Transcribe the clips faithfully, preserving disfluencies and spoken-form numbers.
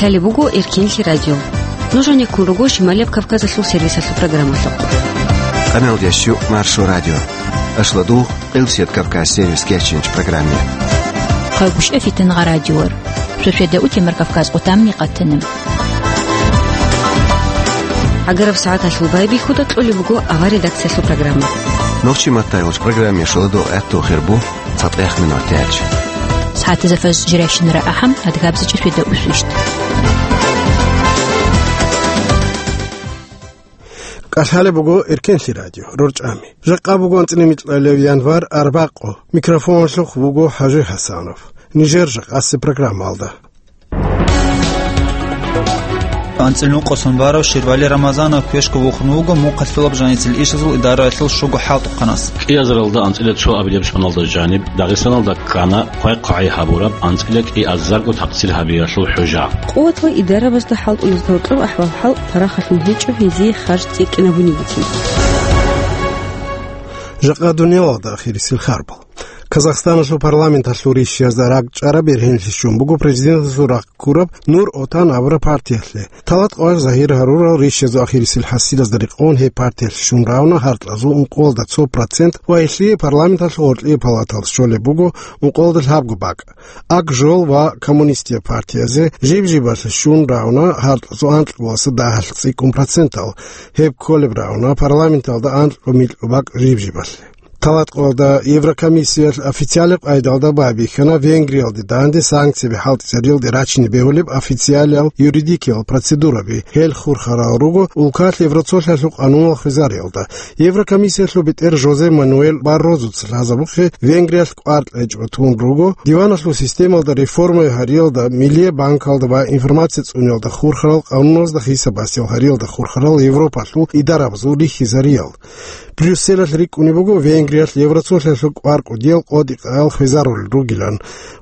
Лъалеб буго Эркенлъи радио. Нуж гьанеккун руго Шималияб Кавказалъул сервисалъул программалъухъ. Къаналдияс щу Маршо радио. Ашладугъ, Къилсият Кавказ сервис кеченч программе. Хъагушев Фитангъа радиор. Шошеда утемар Кавказ къутамни къатана. Агараб сагӀаталъул байбихьуда кьолеб буго авар редакциялъул программа. Нохчи маттайгъулч программе шоладо гӀатту хирбу. ЦатӀех минут тяч. СагӀатазда фаз жирайщинара ахӀам, адгабзичӀ шведа усвищт. КӀалъалеб буго Эркенлъи радио, рорчӀами. Жакъа буго анцӀила микьалев январ арбакъо. Микрофоналъухъ вуго ХӀажи ХӀасанов. Нижер жакъасе программалда. АнцӀила нукъасан барав Ширвали Рамазанов квешго вухун вуго мухъалъулаб жаницал ишазул идараялъул щуго хӀалтӀухъанас. КӀиазаралда анцӀила цо абилеб соналда жаниб Дагъистаналда ккана хъвай-хъвагӀи гьабураб анцӀила кӀиазарго такъсир гьабиялъул хӀужа. Къуват ва идарабазда хӀалтӀулазда гьоркьоб ахӀвал-хӀал парахалъун гьечӀо гьезие харж цӀикӀкӀинабунигицин. Жакъа дуниялалда ахирисел харбал. Казахстаналъул парламенталъул ришшиязда ракӀчӀараб бергьенлъи щун буго президенталъул рахъ ккураб Нур Отан абураб партиялъе. Талат къоялъ загьир гьарурал ришшиязул ахирисел хӀасилазда рекъон гьеб партиялъе щун равна гьаркьазул ункъоялда цо процент ва гьелъие парламенталъул гъоркьие палаталда щолеб буго ункъоялда лъабго бакӀ. Ак-Жол ва Коммунистия партиязе жиб-жибалъе щун равна гьаркьазул анкьго ва дагьалъ цӀикӀкӀун процентал, гьеб кколеб равна парламенталда анкьго-микьго бакӀ жиб-жибалъе. Талат къоялда Еврокомиссиялъ официалаб къайдалда байбихьана Венгриялде данде санкцияби хӀалтӀизариялде рачине бегьулеб официалиял юридикиял процедураби. Гьел хурхарал руго улкалъ Евроцолъиялъул къанунал хвезариялда. Еврокомиссиялъул бетӀер Жозе Мануэль Баррозуца лъазабухъе Венгриялъ кӀвар кьечӀого тун руго, диваналъул системалда реформа гьариялда, Миллияб банкалда ва информация цӀуниялда хурхарал къануналзда хисабасиял гьариялда хурхарал Европалъул идарабазул рихьизариял. Брюсселалъ рикӀкӀунеб буго Венгриялъ Евроцолъиялъул кӀвар кӀудиял къотӀи-къаял хвезарулел ругилан.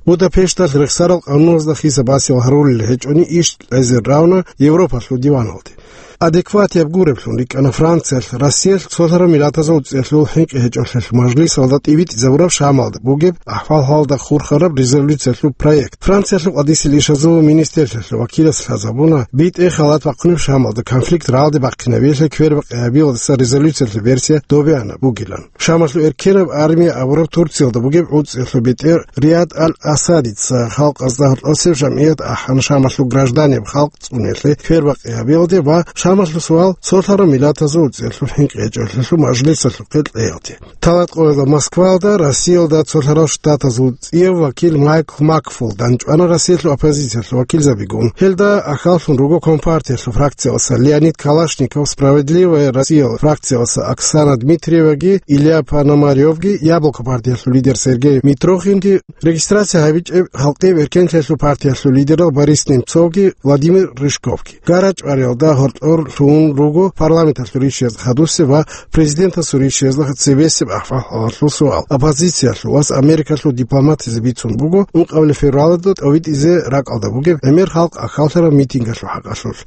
Будапешталъ рехсарал къануналзда хисабасиял гьарулел гьечӀони иш кьезе равна Европалъул диваналде. Адекватияб гуреблъун рикӀкӀана Франциялъ Россиялъ цолъараб миллатазул цӀехьул хӀинкъи гьечӀолъелъ мажлисалда тӀибитӀизабураб Шамалда бугеб ахӀвал-хӀалалда хурхараб резолюциялъул проект. Франциялъул къадисел ишазул министрлъиялъул вакилас лъазабуна, битӀе халат бахъунеб Шамалда конфликт рагӀалде бахъинабиялъе квербакъи гьабиялдаса резолюциялъе версия добеана бугилан. Шамалъул эркенаб армия абураб Турциялда бугеб гӀуцӀиялъул бетӀер Риад аль-Асадица халкъазда гьоркьосеб жамгӀият ахӀана Шамалъул гражданиял халкъ цӀуниялъе квербакъи гьабиялде ва Шамалъул суал цолъараб миллатазул цӀехьул хӀинкъи гьечӀолъелъул мажлисалъухъе кьеялде. Талат къоялда Москваялда Россиялда цолъарал штатазул цӀияв вакил Майкл Макфул данчӀвана Россиялъул оппозициялъул вакилзабигун. Гьелда ахьаллъун руго Компартиялъул фракциялъа Леонид Калашников, Справедливая Россиял фракциялъа Оксана Дмитриеваги, Илья Пономаревги, Яблоко партиялъул лидер Сергей Митрохинги, регистрация гьабичӀеб Халкъияб эркенлъиялъул партиялъул лидерал Борис Немцовги, Владимир Рыжковги. ГарачӀвариялда гьоркьор лъугьун руго парламенталъул ришшиязда хадусеб ва президентасул ришшиязда цебесеб ахӀвал-хӀалалъул суал. Оппозициялъул вас Америкалъул дипломатизе бицун буго ункъабилеб февралалда тӀовитӀизе ракӀалда бугеб гӀемер халкъ ахьаллъараб митингалъул хӀакъалъулъ.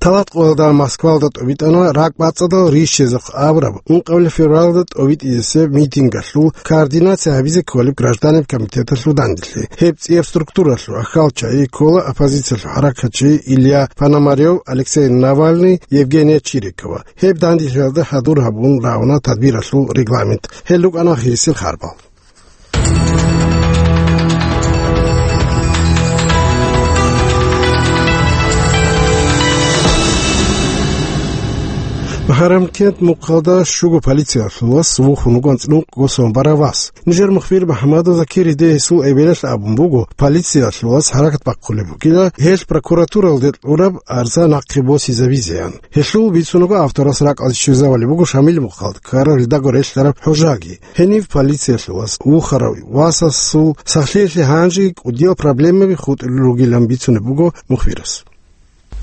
Талат къоялда Москвалда тӀовитӀана ракӀбацӀцӀадал ришшизехъ абураб ункъабилеб февралалда тӀовитӀизесеб митингалъул координация гьабизе кколеб гражданин комитеталъул данделъи. Гьеб цӀияб структуралъул ахьалчагӀи ккола оппозициялъул хӀаракатчи Илья Пономарев, Алексей Навальный, Евгения Чирикова. Гьеб данделъиялда хӀадур гьабун равна тадбиралъул регламент. Гьел рукӀана ахирисел харбал. Бахарамкент мухъалда щуго полициялъул вас вухун вуго анцӀила нукъго сон барав вас. Нижер мухбир МухӀаммадов Закир гьедин гьесул эбелалъ абун буго, полициялъул вас хӀаракат бахъулеб бугила гьелъ прокуратуралде кьураб арза нахъе босизабизеян. Гьелъул бицун буго авторас ракӀалде щвезавулеб буго Шамил мухъалда ккараб гьелдаго релълъараб хӀужаги. Гьенив полициялъул вас вухарав васасул сахлъиялъе гьанжеги кӀудиял проблемаби хутӀулел ругилан бицунеб буго мухбирас.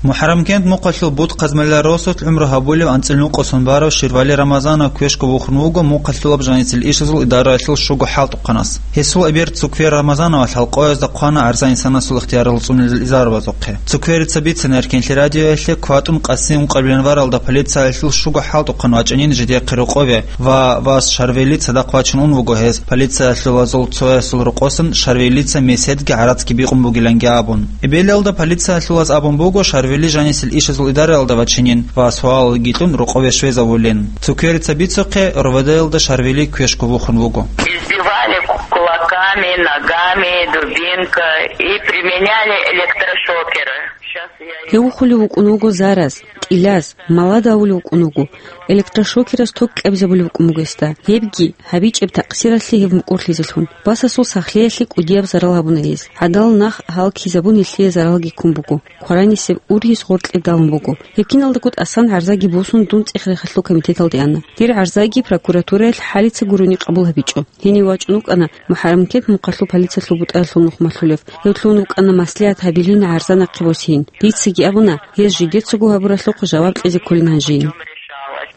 МухӀаррамкент мухъалъул Бут-Хъазмелла росулъ гӀумру гьабулев анцӀил нукъосун барав Ширвали Рамазанов квешго вухун вуго мухъалъулаб жанисел ишазул идараялъул щуго хӀалтӀухъанас. Гьесул эбер Цуквер Рамазановалъ гьалкъоязда хъвана гӀарза инсанасул ихтиярал цӀунилел изарабазухъе. Цукверица бицина Эркенлъи радиоялъе кватӀун къаси ункъабилан варалда полициялъул щуго хӀалтӀухъан вачӀанин жидехъе рокъове ва вас Шарвели цадахъ вачун ун вуго гьез, полициялъулазул цоясул рокъосан Шарвелица меседги гӀарацги бикъун бугиланги абун. Эбелалда полициялъулаз абун буго Шарвели жанисел ишазул идараялда вачинин ва суалалги кьун рокъове щвезавулин. Цукверица бицухъе, РОВД-ялда Шарвели квешго вухун вуго. Избивали кулаками, ногами, дубинкой и применяли электрошокеры. Щас я их... Гьев вухулев вукӀун вуго зараз, кӀилаз, малад авулев вукӀун вуго, электрошокерас ток кӀабизабулев вукӀун буго гьесда. Гьебги, гьабичӀеб такъсиралъе гьев мукӀурлъизелъун, васасул сахлъиялъе кӀудияб зарал гьабуна гьез. ГӀадал нах гьал ккизабун гьелъие заралги ккун буго. Хъваранисеб ургьиз гъоркье далун буго. Гьеб киналдаго тӀасан гӀарзаги босун, дун цӀех-рехалъул комитеталде ана. Дир гӀарзаги прокуратураялъ хӀалица гурони къабул гьабичӀо. Гьенив вачӀун вукӀана МухӀаррамкент мухъалъул полициялъул бутӀаялъул нухмалъулев. Гьев лъун вукӀана маслигӀат гьабилин гӀарза нахъе босейин. Дицаги абуна, гьез жидецаго гьабуралъухъ жаваб кьезе кколин гьанжейин.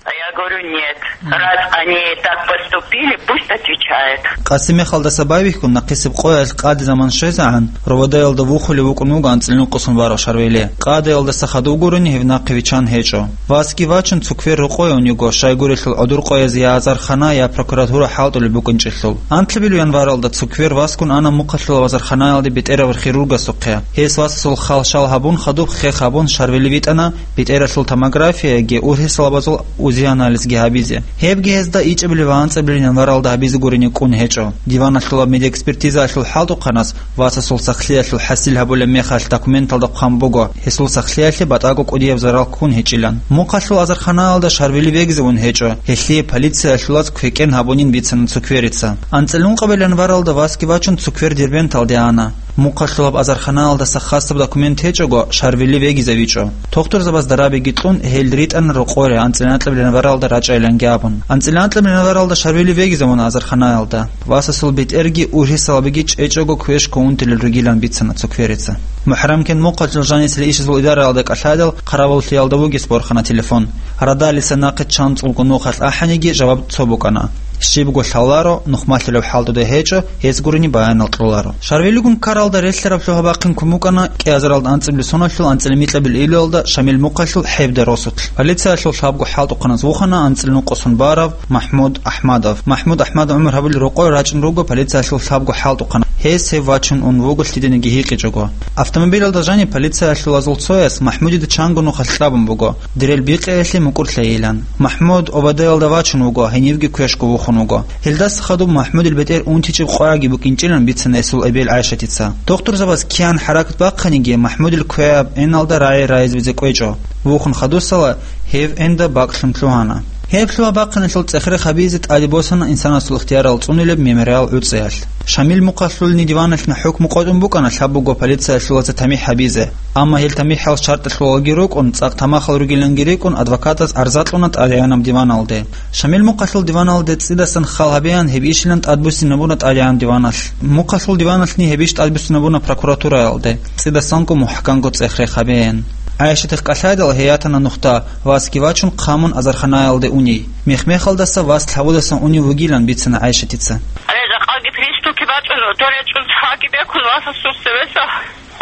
А я говорю, нет. Раз они так поступили, пусть отвечают. Къаси мехалдаса байбихьун, нахъисеб къоялъ къаде заман щвезегӀан, РОВД-ялда вухулев вукӀун вуго анцӀил нукъосун барав Шарвели. Къадаялдаса хадув гурони гьев нахъе виччан гьечӀо. Васги вачун, Цуквер рокъове ун йиго, щайгурелъул гӀодор къояз я азархана, я прокуратура хӀалтӀулеб букӀинчӀелъул. Анлъабилеб январалда Цуквер васгун ана мухъалъулаб азарханаялде бетӀерав хирургасухъе. Гьес васасул хал-шал гьабун, хадуб хех гьабун, Шарвели витӀана бетӀералъул томографияги ургьисалабазул УЗИ-анализги гьабизе. Гьебги гьезда ичӀабилеб ва анцӀабилеб январалда гьабизе гурони кӀун гьечӀо. Диваналъулаб медиаэкспертизаялъул хӀалтӀухъанас васасул сахлъиялъул хӀасил гьабулеб мехалъ документалда хъван буго, гьесул сахлъиялъе батӀаго кӀудияб зарал ккун гьечӀилан. Мухъалъул азарханаялда Шарвели вегизе ун гьечӀо, гьелъие полициялъулаз квекӀен гьабунин бицана Цукверица. АнцӀил ункъабилеб январалда васги вачун, Цуквер Дербенталде ана. Мухъалъулаб азарханаялдаса хасаб документ гьечӀого, Шарвели вегизавичӀо. Тухтурзабаз дарабиги кьун, гьел ритӀана рокъоре анцӀила анкьабилеб январалда рачӀайиланги абун. АнцӀила анкьабилеб январалда Шарвели вегизавуна азарханаялда. Васасул бетӀерги ургьисалабиги чӀечӀого квешго унтилел ругилан бицана Цукверица. МухӀаррамкент мухъалъул жанисел ишазул идараялда кӀалъайдал, хъаравуллъиялда вугес борхана телефон. Радалиса нахъе чанцӀулго нухалъ ахӀаниги, жаваб цо букӀана. Щибго лъаларо, нухмалъулеб хӀалтӀуда гьечӀо, гьес гурони баянал кьоларо. Шарвелигун ккаралда релълъараб лъугьа-бахъин ккун букӀана кӀиазаралда анцӀабилеб соналъул анцӀила микьабилеб июлалда Шамил мухъалъул ХӀебда росулъ. Полициялъул лъабго хӀалтӀухъанас вухана анцӀил нукъосун барав МахӀмуд АхӀмадов. МахӀмуд АхӀмадов гӀумру гьабулел рокъове рачӀун руго полициялъул лъабго хӀалтӀухъанас. Гьес гьев вачун ун вуго лъидениги гьикъичӀого. Автомобилалда жаниб полициялъулазул цояс МахӀмудида чанго нухалъ кьабун буго, дирел бикъиялъе мукӀурлъайилан. МахӀмуд ОВД-ялда вачун вуго, гьенивги квешго вухун вуго. Гьелдаса хадуб МахӀмудил бетӀер унтичӀеб къояги букӀинчӀилан бицана гьесул эбел ГӀайшатица. Тухтурзабаз киян хӀаракат бахъаниги, МахӀмудил квеаб эналда рагӀи райизабизе кӀвечӀо. Вухун хадусала гьев энда бакӀлъун лъугьана. Гьеб лъугьа-бахъиналъул цӀех-рех гьабизе тӀаде босана инсанасул ихтиярал цӀунилеб мемориал гӀуцӀиялъ. Шамил мухъалъулни диваналъни хӀукму къотӀун букӀана лъабго полициялъулаца тамихӀ гьабизе, амма гьел тамихӀал шартӀалъулалги рукӀун, цӀакъ тамахал ругиланги рикӀкӀун, адвокатас гӀарза кьуна тӀадегӀанаб диваналде. Шамил мухъалъул диваналде цӀидасан хал гьабеян, гьеб ишилан тӀадбуссинабуна тӀадегӀан диваналъ. Мухъалъул диваналъни гьеб иш тӀадбуссинабуна прокуратураялде, цӀидасанго мухӀканго цӀех-рех гьабеян. ГӀайшатихъ кӀалъайдал гьей ятана нухда, васги вачун хъамун азарханаялде уний. Мех-мехалдаса вас лъабудасан унев вугилан бицана ГӀайшатица. Гьале жакъаги приступги бачӀун, доречӀун цаги бекун васасул цевеса.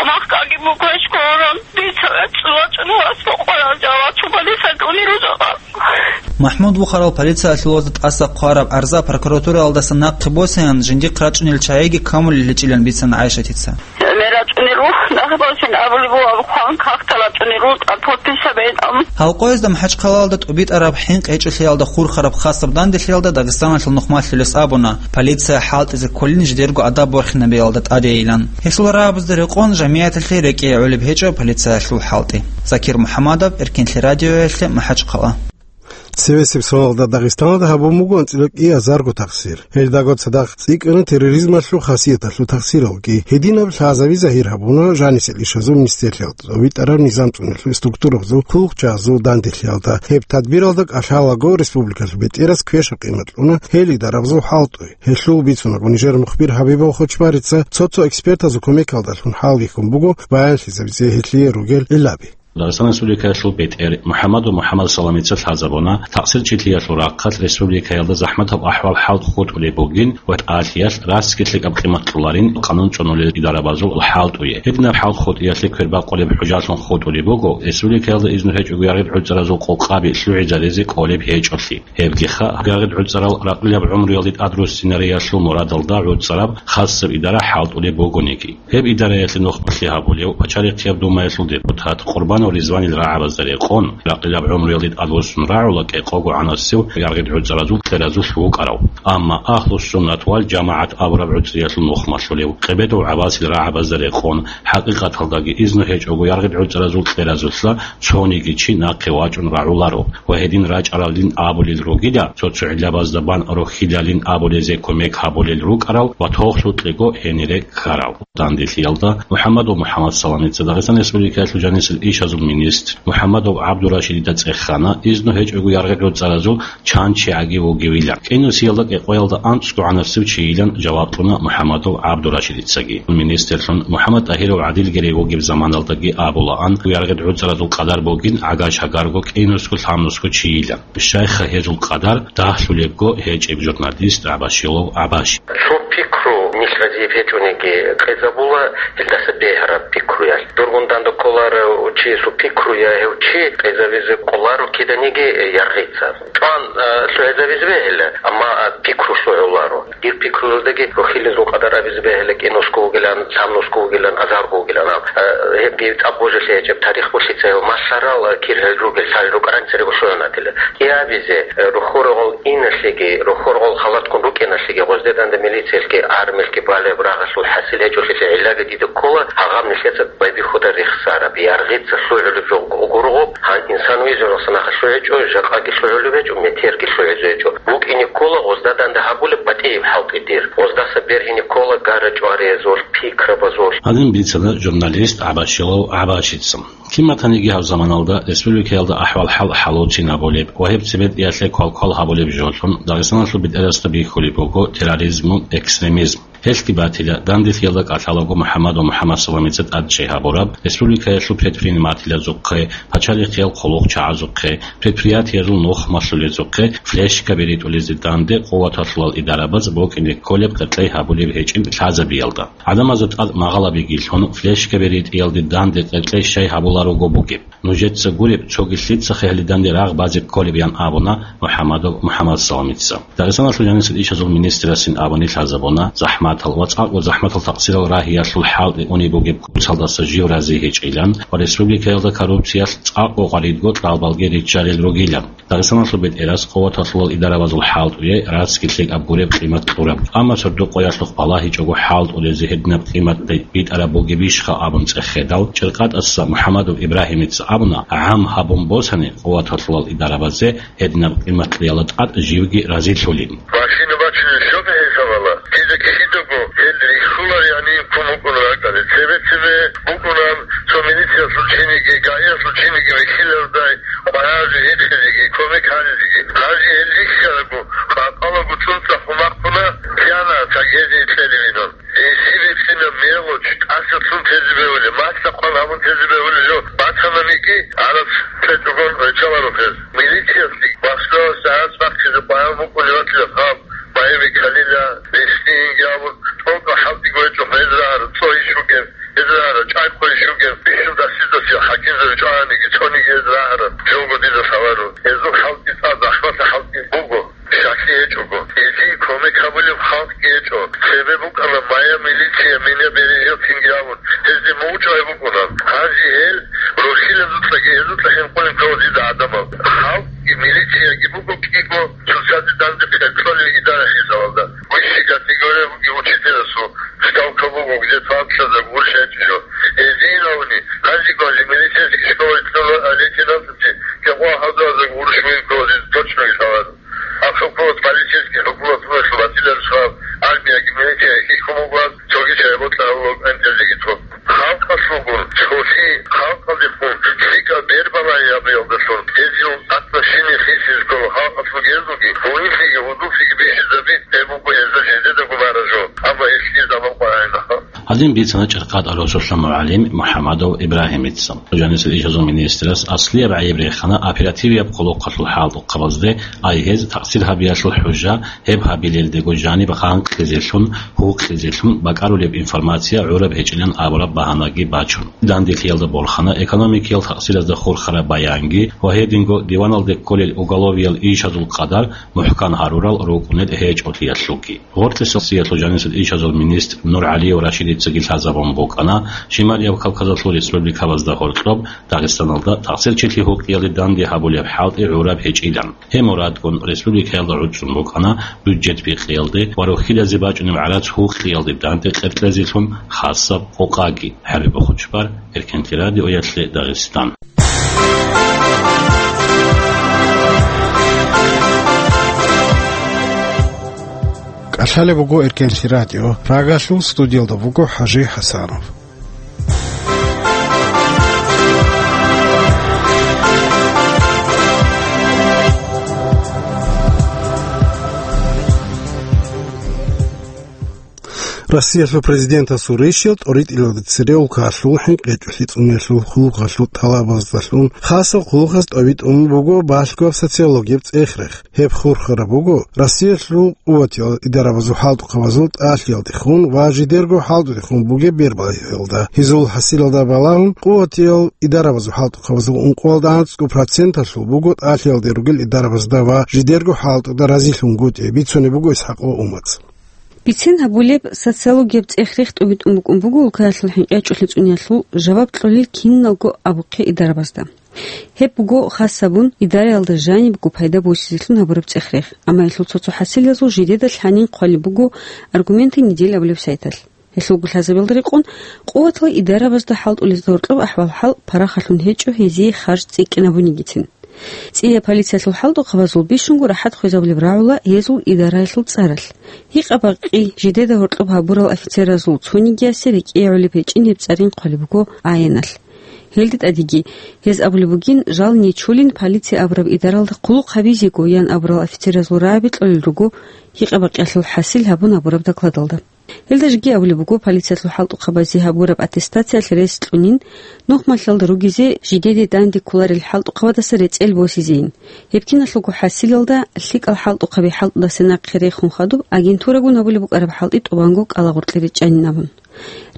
Махкаги бугоечӀо оран, дица вецӀцӀулачӀун вас бокъоял жаваб чубалиса кӀунирузаб. МахӀмуд вухарал полициялъулазда тӀаса хъвараб гӀарза прокуратураялдаса нахъе босеян, жиндихъ рачӀунел чагӀиги камулел гьечӀилан бицана ГӀайшатица. Мера чӀуниру, нахъе босин абулеб буго, абу хъван, как тала чӀуниру, тӀад подписаб гьечӀам. Гьалкъоязда МахӀачхъалаялда тӀубитӀараб хӀинкъи гьечӀолъиялда хурхараб хасаб данделъиялда Дагъистаналъул нухмалъулес абуна, полиция хӀалтӀизе кколин жидерго адаб борхинабиялда тӀадейилан. Гьесул рагӀабазда рекъон жамигӀаталъе рекӀее гӀолеб гьечӀо полициялъул хӀалтӀи. Закир МухӀаммадов, Эркенлъи радиоялъе, МахӀачхъала. Цевесеб соналда Дагъистаналда гьабун буго анцӀила кӀиазарго тахсир. Гьелдаго цадахъ цӀикӀкӀана терроризмалъул хасияталъул тахсиралги. Гьединаб лъазаби загьир гьабуна жанисел ишазул министрлъиялда, цӀобитӀараб низам цӀунулъул структурабазул, хъулухъчагӀазул данделъиялда. Гьеб тадбиралда кӀалъалаго республикалъул бетӀерас квешаб къимат кьуна гьел идарабазул хӀалтӀуе. Гьелъул бицунаго нижер мухбир Хабибов Хочбарица цо-цо экспертазул кумекалдалъун хӀалбихьун буго баянлъизабизе гьелъие ругел гӀиллаби. Дагъистан Республикаялъул бетӀер МухӀаммадов МухӀаммад Саламица лъазабуна, такъсирчилъиялъул рахъалъ республикаялда захӀматаб ахӀвал-хӀал хутӀулеб бугин ва тӀалъиялъ раскилъи кӀаб къимат кьоларин къанун чӀванулел идарабазул хӀалтӀуе. Гьединаб хӀал хутӀиялъе квербакъулеб хӀужалъун хутӀулеб буго республикаялда изну гьечӀого яргъид гӀуцӀаразул къокъаби лъугӀизаризе кӀолеб гьечӀолъи. Гьебгиха, яргъид гӀуцӀарал ракъилаб гӀумруялде тӀадруссинариялъул мурадалда гӀуцӀараб хасаб идара хӀалтӀулеб бугониги. Гьеб идараялъе нухмалъи гьабулев Пачалихъияб Думаялъул депутат Къурбанов Ризванил рагӀабазда рекъон, ракъилаб гӀумруялде тӀадвуссун рагӀула кӀикъого гӀанасев яргъид гӀуцӀаразул кьеразулъ вукӀарав, амма Агьлу-суннат вал жамагӀат абураб гӀуцӀриялъул нухмалъулев Къебедов ГӀаббасил рагӀабазда рекъон, хӀакъикъаталдаги изну гьечӀого яргъид гӀуцӀаразул кьеразулъа цониги чи нахъе вачӀун рагӀуларо ва гьедин рачӀаралин абулел ругила, цо-цо гӀиллабазда бан рохьилалин абулезе кумек гьабулел рукӀарал ва тохлъукьего гьенире ккарал. Данделъиялда МухӀаммадов МухӀаммад Саламица Дагъистан Республикаялъул жанисел ишазул министр МухӀаммадов ГӀабдурашидида цӀехана, изну гьечӀого яргъид гӀуцӀаразул чан чагӀиги вугевилан. КӀинусиялда кӀикъоялда анцӀго гӀанасев чийилан жаваб кьуна МухӀаммадов ГӀабдурашидицаги. Министрлъун МухӀаммад ТӀагьиров гӀадилги рей вугеб заманалдаги абулаан, яргъид гӀуцӀаразул къадар бугин гӀагаш гьагарго кӀинусго-лъабнусго чийилан. Щайха гьезул къадар дагьлъулебго гьечӀеб журналист ГӀабашилов ГӀабаши. Цо пикру нилъ разияб гьечӀониги къезабула, гьелдаса бегьараб пикруялъ. Дургъун данде кколарав чиясул пикруя гьев чи къезабизе кӀоларо киданиги яргъица. ЧӀван, а, лъугӀизабизе бегьила, амма, а, пикру лъугӀуларо. Дир пикруялдаги рохьилезул къадар абизе бегьила, кӀинусго вугилан, лъабнусго вугилан, азарго вугилан. А, гьебги тӀад божилъи гьечӀеб тарих болъица гьев малъарал, а, кир гьел ругел, лъалел рукӀаранцариго лъугӀунатила. КӀиабизе, э, рухьургъал иналъеги, рухьургъал халатккун рукӀиналъеги, гъозде данде милициялъги, армиялъги балеб рагъалъул хӀасил гьечӀолъизе гӀиллаги дида ккола, гьагъаб нилъеца байбихьуда рехсараб, яргъица лъугӀулеб жо гургъуб, гьан инсан вижаралса нахъа лъугӀичӀо, жакъаги лъугӀулеб гьечӀо, метерги лъугӀизе гьечӀо. БукӀине ккола гъозда данде гьабулеб батӀияб хӀалтӀи дир. Гъоздаса бергьине ккола гара-чӀвариязул, пикрабазул. Гьадин бицана журналист ГӀабашилов ГӀабашица. Кин батаниги гьаб заманалда республикаялда ахӀвал-хӀал хӀалуцин гьабулеб ва гьеб цебетӀиялъе квалквал гьабулеб жолъун Дагъистаналъул бетӀерасда бихьулеб буго терроризму экстремизм. Гьелъги батила, данделъиялда кӀалъалаго МухӀаммадов МухӀаммад Саламица тӀадчӀей гьабураб республикаялъул предпринимателазухъе, пачалихъиял хъулухъчагӀазухъе, предприятиязул нухмалъулезухъе флешкаби ритӀулезе данде къуваталъулал идарабаз букӀине кколеб къеркьей гьабулеб гьечӀин лъазабиялда. ГӀадамазда тӀад магъалабиги лъун, флешкаби ритӀиялде данде къеркьей щай гьабуларого бугеб. Нужеца гуреб, цоги лъицахъе гьеле данде рагъ базе кколеб, ян абуна МухӀаммадов МухӀаммад Саламица. Дагъистаналъул жанисел ишазул министрасин абуни лъазабуна, захӀматал ва цӀакъго захӀматал такъсирал рагьиялъул хӀалтӀи унеб бугеб куцалдаса жив рази гьечӀилан ва республикаялда коррупциялъ цӀакъго гъваридго кьалбалги риччарел ругилан. Дагъистаналъул бетӀерас къуваталъулал идарабазул хӀалтӀуе раскилъи кӀаб гуреб къимат кьураб. Амма сордо-къоялъухъ балагьичӀого хӀалтӀулезе гьединаб къимат битӀараб бугебищха абун цӀехедал, ЧӀиркъатӀаса МухӀаммадов Ибрагьимица абуна, гӀам гьабун босани къуваталъулал идарабазе гьединаб къиматлъиялда тӀад живги разилъулин. Машина бачунеб щоги гьесабала, дида кидаго гьел рихьуларигӀанин ккун букӀун ракӀалде. Цебе-цебе букӀунан цо милициялъул чиниги, ГАИялъул чиниги вихьилардай, къваригӀазе гьикъизеги, кумек гьаризеги. Гьанже гьел рихьарабго, къакъалаго цӀунцӀрахъун бахъуна, кьана цогизе кьелевинан. Гьесие бицина мелочь, тӀасалъун тезе бегьулеб, масса хъван гьабун тезе бегьулеб жо бацананиги, гьараб цечӀогон риччаларо гьез. Милициялъги машиналъ гьараб бахъизе къваригӀун букӀунеб батила гьаб, Майами Калила, Лесниги абун, тӀокӀаб хӀалтӀиго гьечӀо гьез рагӀараб, цо иш бугеб, гьез рагӀараб, чӀай-хъо иш бугеб, бищун дасиздасил хӀакимзаби чӀваниги, цониги гьез рагӀараб, жого дида лъаларо. Гьезул хӀалтӀи цӀакъ захӀматаб хӀалтӀи буго. Щаклъи гьечӀого, гьезие кумек гьабулеб халкъги гьечӀо. Цебе букӀана Майами милиция, меня бережёт цинги абун, гьезде мугъчӀвай букӀуна. Гьанже гьел рохьилазукьаги гьезукьа хӀинкъулеб ккола дида гӀадамал. Халкъги милицияги буго кӀиго цоцазе данде кьолел идара хӀисабалда. Высшей категория бугеб учителасул ставка буго, где-то анцӀазда гурищ гьечӀо жо. Гьезие гьавни, гьанжего гьанже милицейский школа лейтенантасе кӀикъоялда гурищ бугеб ккола дида точно лъаларо. Гьаб хӀукумат, полицейский хӀукумат, батила рушал, армияги милицияги хьихьун бугоан, цоги чагӀи бокьараб буго кӀвенкӀелдеги тун. Халкъалъулгун цолъи, халкъалдехун лъикӀаб бер балагьи гьабиялдалъун, Гьедин бицана ЧӀархъад росулъа мугӀалим МухӀамадов Ибрагьимица. Жанисел ишазул министрас аслияб гӀайиб рехана оперативияб хъулухъалъул хӀалтӀухъабазде, ай гьез такъсир гьабиялъул хӀужа, гьеб гьабилелдего жаниб гъанкълъизелъун, гьукъизелъун бакӀарулеб информация гӀураб гьечӀилан абураб багьанаги бачун. Данделъиялда борхана экономикиял такъсиразда хурхараб баянги ва гьединго диваналде кколел уголовиял ишазул къадар мухӀкан гьарурал рукӀунел гьечӀолъиялъулги. Гъоркьесул сиялъул жанисел ишазул министр НургӀалиев Рашидицаги лъазабун букӀана Шималияб Кавказалъул республикабазда гьоркьоб Дагъистаналда такъсирчилъи гьукъиялде данде гьабулеб хӀалтӀи гӀураб гьечӀилан. Гьеб мурадгун республикаялда гӀуцӀун букӀана бюджет бикъиялде ва рохьилазе бачӀунеб гӀарац гьукъиялде данде къеркьезелъун хасаб къокъаги. ХӀариба Хучбар, Эркенлъи радиоялъе Дагъистан. КӀалъалеб буго Эркенлъи радио. Прагалъул студиялда буго ХӀажи ХӀасанов. Россиялъул президентасул ришал тӀоритӀилалде цере улкаялъул хӀинкъи гьечӀолъи цӀуниялъул хъулухъалъул тӀалабаздалъун хасаб хъулухъаз тӀобитӀун буго балъгояб социологияб цӀех-рех. Гьеб хурхараб буго Россиялъул къуватиял идарабазул хӀалтӀухъабазул тӀалъиялдехун ва жидерго хӀалтӀудехун бугеб бербалъиялда. Гьезул хӀасилалда балагьун, къуватиял идарабазул хӀалтӀухъабазул ункъоялда анцӀго проценталъул буго тӀалъиялде ругел идарабазда ва жидерго хӀалтӀуда разилъунгутӀи, бицунеб буго ИсхӀакъ ва Умац. Бицен гьабулеб социологияб цӀех-рех тӀубитӀун букӀун буго улкаялъул хӀинкъи гьечӀолъи цӀуниялъул жаваб кьолел киналго абухъе идарабазда. Гьеб буго хас гьабун идараялда жанибго пайда босизелъун гьабураб цӀех-рех, амма гьелъул цо-цо хӀасилазул жидеда лъанин хъвалеб буго «Аргументы недели» абулеб сайталъ. Гьелъул гулъазабиялда рекъон, къуватал идарабазда хӀалтӀулезда гьоркьоб ахӀвал-хӀал парахалъун гьечӀо гьезие харж цӀикӀкӀинабунигицин. ЦӀияб полициялъул хӀалтӀухъабазул бищунго рахӀат хвезабулеб рагӀула гьезул идараялъул цӀаралъ. Гьикъа-бакъи жидеда гьоркьоб гьабурал офицеразул цонигиясе рекӀее гӀолеб гьечӀин гьеб цӀарин хъвалеб буго аеналъ. Гьелде тӀадеги, гьез абулеб бугин, жал нечолин полиция абураб идаралда хъулухъ гьабизего ян абурал офицеразул рагӀаби кьолел руго гьикъа-бакъиялъул хӀасил гьабун гьабураб докладалда. Гьелда жеги абулеб буго, полициялъул хӀалтӀухъабазе гьабураб аттестациялъ рес кьунин, нухмалъалда ругезе жидеде данде кколарел хӀалтӀухъабадаса рецӀел босизейин. Гьеб киналъулго хӀасилалда лъикӀал хӀалтӀухъаби хӀалтӀудаса нахъе рехун хадуб, агентурагун гьабулеб букӀараб хӀалтӀи тӀубанго кӀалагъоркье речӀчӀанин абун.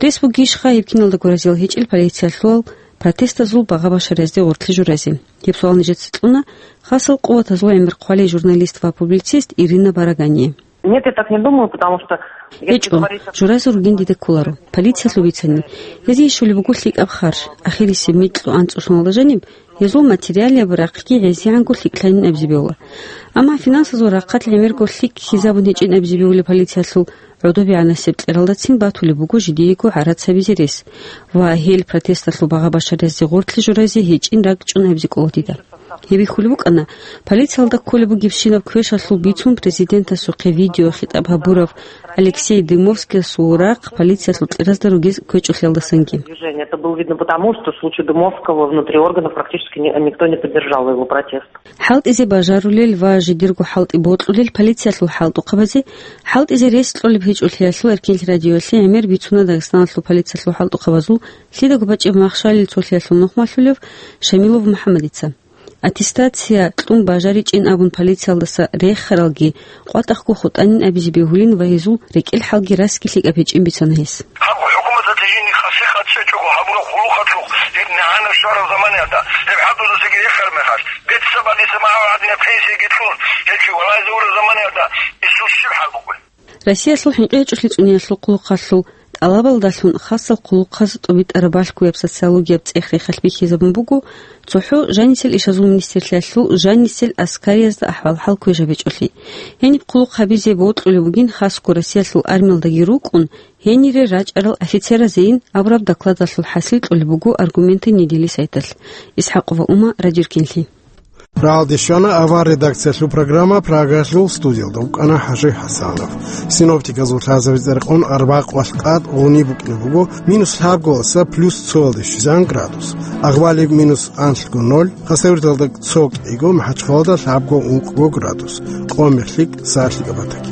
Рес бугищха гьеб киналдаго разиял гьечӀел полициялъул протестазул багъа-башариязде гъоркье журазе? Гьеб суал нижеца кьуна хасал къуватазул гӀемер хъвалей журналист ва публицист Ирина Барагание. Нет, я так не думаю, потому что если... ГьечӀо, говорить о... Журазе ругин дида кколаро. Полициялъул бицани, гьезие щолеб буго лъикӀаб харж, ахирисеб микьго анцӀго соналда жаниб, гьезул материалияб рахъги гӀезегӀанго лъикӀлъанин абизе бегьула. Амма финансазул рахъалъ гӀемерго лъикӀ хьизабун гьечӀин абизе бегьулеб полициялъул гӀодобегӀанасеб кьералдацин батулеб буго жидеего гӀарац гьабизе рес ва гьел протесталъул багъа-башариязде гъоркье журазе гьечӀин ракӀчӀун абизе кӀола дида. Гьеб бихьулеб букӀана, полициялда кколеб бугебщинаб квешалъул бицун президентасухъе видеохитӀаб гьабурав Алексей Дымовскиясул рахъ полициялъул кьеразда ругез квечӀолъиялдасанги. Движение. Это было видно потому, что в случае Дымовского внутри органов практически ни-, никто не поддержал его протест. ХӀалтӀизе бажарулел ва жидерго хӀалтӀи бокьулел полициялъул хӀалтӀухъабазе хӀалтӀизе рес кьолеб гьечӀолъиялъул Эркенлъи радиоялъе гӀемер бицуна Дагъистаналъул полициялъул хӀалтӀухъабазул лъидаго бачӀеб махщалил цолъиялъул нухмалъулев Шамилов МухӀаммадица. Аттестация кьун бажаричӀин абун полициялдаса рехаралги къватӀахго хутӀанин абизе бегьулин ва гьезул рекӀел хӀалги расги лъикӀаб гьечӀин бицана гьес. Гьаб хӀукуматалъе жиндихъа сихъат чӀечӀого гьабураб хъулухъалъухъ, гьеб нагӀана щвараб заманаялда, гьеб хӀалтӀузесеги рехараб мехалъ, бетӀерсаб гьадинаб пенсияги кьун, гьел чи валазе ураб заманаялда, гьесул щиб хӀал бугеб? Россиялъул хӀинкъи гьечӀолъи цӀуниялъул хъулухъалъул тӀалабалдалъун хасал хъулухъаз тӀубитӀараб балъгояб социологияб цӀех-рехалъ бихьизабун буго цохӀо жанисел ишазул министрлъиялъул жанисел аскариязда ахӀвал-хӀал квешаб гьечӀолъи. Гьениб хъулухъ гьабизе бокьулеб бугин хасго Россиялъул армиялдаги рукӀун, гьенире рачӀарал офицеразейин абураб докладалъул хӀасил кьолеб буго «Аргументы недели» сайталъ. ИсхӀакъова Ума, Радио Эркенлъи. Рагьалде щвана авар редакциялъул программа, Прагалъул студиялда вукӀана ХӀажи ХӀасанов. Синоптиказул лъазабизе рекъон арбякъвалъ къад гъуниб букӀине буго, минус лъабго валаса плюс цоялде щвезегӀан градус. Агъвалиб минус анлъго ноль, Хасавюрталда цо кӀиго, МахӀачхъалада лъабго ункъго градус. Къо мехлъи сарлъи кӀабатаги.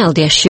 Алдияш